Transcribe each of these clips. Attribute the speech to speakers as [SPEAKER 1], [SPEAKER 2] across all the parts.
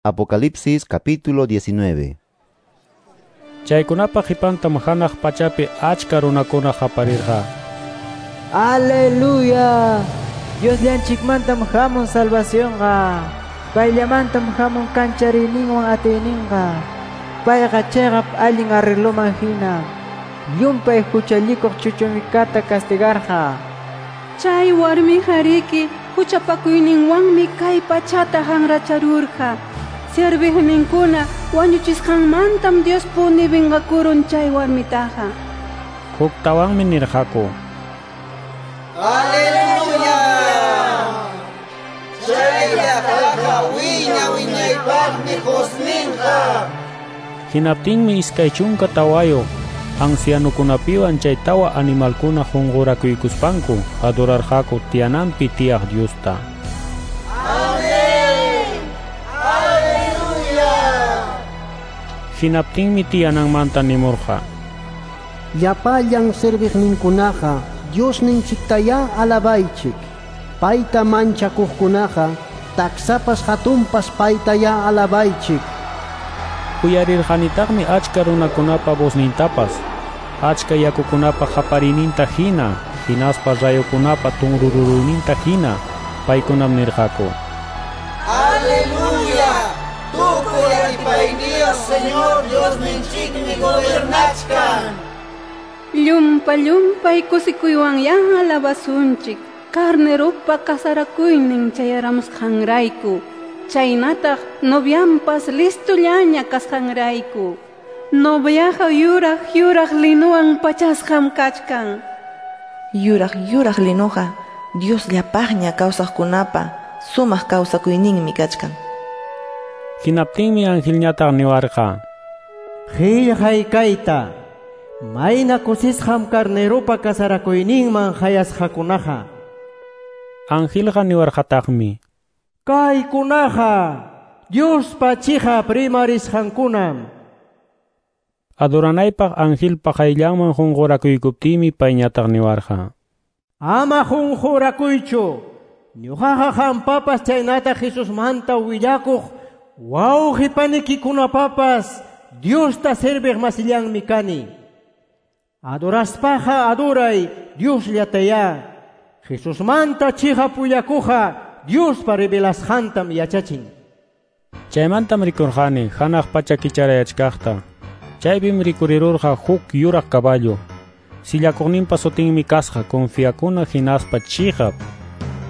[SPEAKER 1] Apocalipsis capítulo 19.
[SPEAKER 2] Chaykunapa qipantam hanaq pachapi achka runakuna qaparirqa.
[SPEAKER 3] Aleluya! Diosllanchikmantam hamun salvacionqa. Payllamantam hamun kanchariyninwan atiyninqa. Payqa chiqap allin arregloman hina. Llumpay huchallikuq chuchumikata castigarqa.
[SPEAKER 4] Chay warmiqa riki huchapakuyninwanmi kay pachata hanracharurqa. Serviqninkuna wañuchisqanmantam Diospuni vengakurun chay warmitaqa.
[SPEAKER 2] Huktawanmi nirqaku.
[SPEAKER 5] Aleluya! Chay llaqtaqa wiña wiñaypaqmi husninqa.
[SPEAKER 2] Hinaptinmi 24 ancianukunapiwan chay tawa animalkuna qunqurakuykuspanku adorarqaku tiyananpi tiyaq Diosta.
[SPEAKER 5] Amén. Aleluya.
[SPEAKER 2] Hinaptinmi tiyananmanta nimurqa.
[SPEAKER 6] Llapallan serviqninkunaqa Diosninchiktayá alabaychik. Payta manchakuqkunaqa taksapas hatunpas paytayá alabaychik.
[SPEAKER 2] Uyarirqanitaqmi achka runakunapa voznintapas, achka yakukunapa qaparininta hina, hinaspa rayukunapa tunrururuyninta hina, paykunam nirqaku.
[SPEAKER 5] Aleluya! Tukuy atipayniyuq Señor Diosninchikmi gobernachkan.
[SPEAKER 4] Llumpa llumpay kusikuywanyá alabasunchik. Carneropa kasarakuynin chayaramusqanrayku. Chaynataq novianpas listollaña kasqanrayku. Noviaqa yuraq yuraq linuwan pachasqam kachkan.
[SPEAKER 7] Yuraq yuraq linuqa Diosllapaqña kawsaqkunapa sumaq kawsakuyninmi kachkan.
[SPEAKER 2] Hinaptinmi angelñataq niwarqa.
[SPEAKER 8] Qillqay kayta, mayna kusisqam carneropa kasarakuyninman hayasqakunaqa.
[SPEAKER 2] Angelqa niwarqataqmi.
[SPEAKER 8] Kaykunaqa Diospa chiqap rimarisqankunam.
[SPEAKER 2] Adoranaypaq angelpa qayllanman qunqurakuykuptiymi payñataq niwarqa.
[SPEAKER 8] Ama qunqurakuychu. Ñuqaqa qampapas chaynataq Jesusmanta willakuq wawqi panikikunapapas Diosta serviq masillanmi kani. Adoraspaqa adoray Diosllatayá. Jesusmanta chiqap willakuqqa Diospa revelasqantam yachachin.
[SPEAKER 2] Chaymantam rikurqani hanaq pacha kicharayachkaqta. Chaypim rikurirurqa huk yuraq caballo. Sillakuqninpa sutinmi kasqa confiakuna hinaspa chiqap.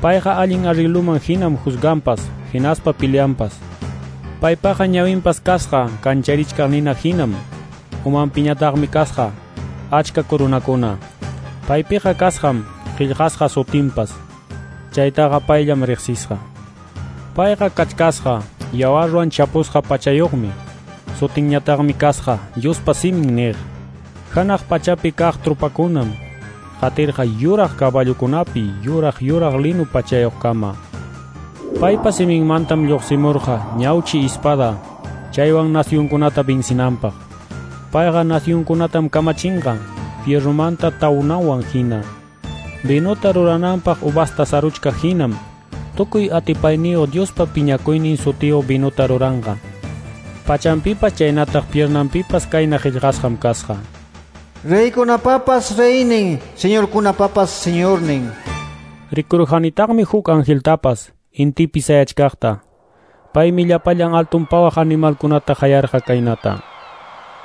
[SPEAKER 2] Payqa allin arregluman hinam juzganpas, hinaspa peleanpas. Paypaqa ñawinpas kasqa kancharichkaq nina hinam. Umanpiñataqmi kasqa achka corunakuna. Paypiqa kasqam qillqasqa sutinpas. Chaytaqa payllam riqsisqa. Payqa kachkasqa yawarwan chapusqa pachayuqmi. Sutinñataqmi kasqa Diospa simin niq. Hanaq pachapi kaq trupakunam qatirqa yuraq caballokunapi yuraq yuraq linu pachayuqkama. Paypa siminmantam lluqsimurqa ñawchi espada chaywan nacionkunata vencinanpaq. Payqa nacionkunatam kamachinqa fierromanta tawnawan hina. Vinota rurananpaq uvasta saruchka hinam tukuy atipayniyuq Diospa piñakuynin sutiyuq vinota ruranqa. Pachanpipas chaynataq piernanpipas kayna qillqasqam kasqa.
[SPEAKER 9] Reykunapapas reynin, señorkunapapas señornin.
[SPEAKER 2] Rikurqanitaqmi huk angeltapas intipi sayachkaqta. Paymi llapallan altun pawaq animalkunata hayarqa kaynata.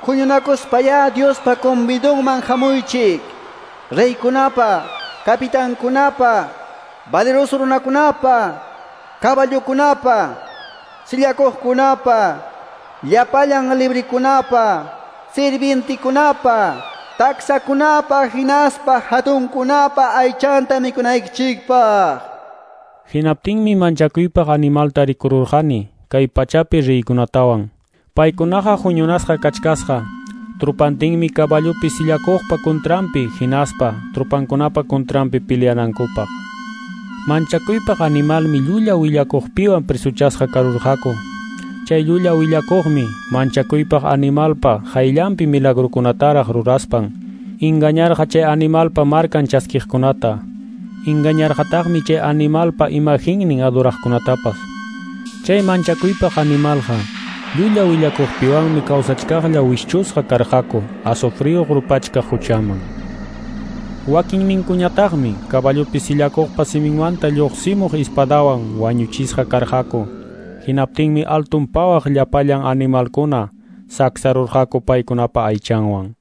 [SPEAKER 9] Huñunakuspayá Diospa convidunman hamuychik. Reykunapa, capitankunapa, valeroso runakunapa, caballokunapa, sillakuqkunapa, llapallan librikunapa, sirvientikunapa, taksakunapa hinaspa hatunkunapa aychanta mikunaykichikpaq.
[SPEAKER 2] Hinaptinmi manchakuypaq animalta rikururqani kay pachapi riykunatawan. Paykunaqa huñunasqa kachkasqa. Trupantinmi caballopi sillakuqpa contranpi hinaspa trupankunapa contranpi peleanankupaq. Manchakuypaq animalmi llulla willakuqpiwan presuchasqa karurqaku. Chay llulla willakuqmi manchakuypaq animalpa hayllanpi milagrukunataraq ruraspan engañarqa chay animalpa markan chaskiqkunata. Engañarqataqmi chay animalpa imaginnin adoraqkunatapas. Chay manchakuypaq animalqa llulla willakuqpiwanmi kawsachkaqlla wischusqa karqaku azufriyuq rupachkaq huchaman. Wakinninkuñataqmi caballopi sillakuqpa siminmanta lluqsimuq ispadawan wañuchisqa karqaku. Hinaptinmi altun pawaq llapallan animalkuna saksarurqaku paykunapa aychanwan.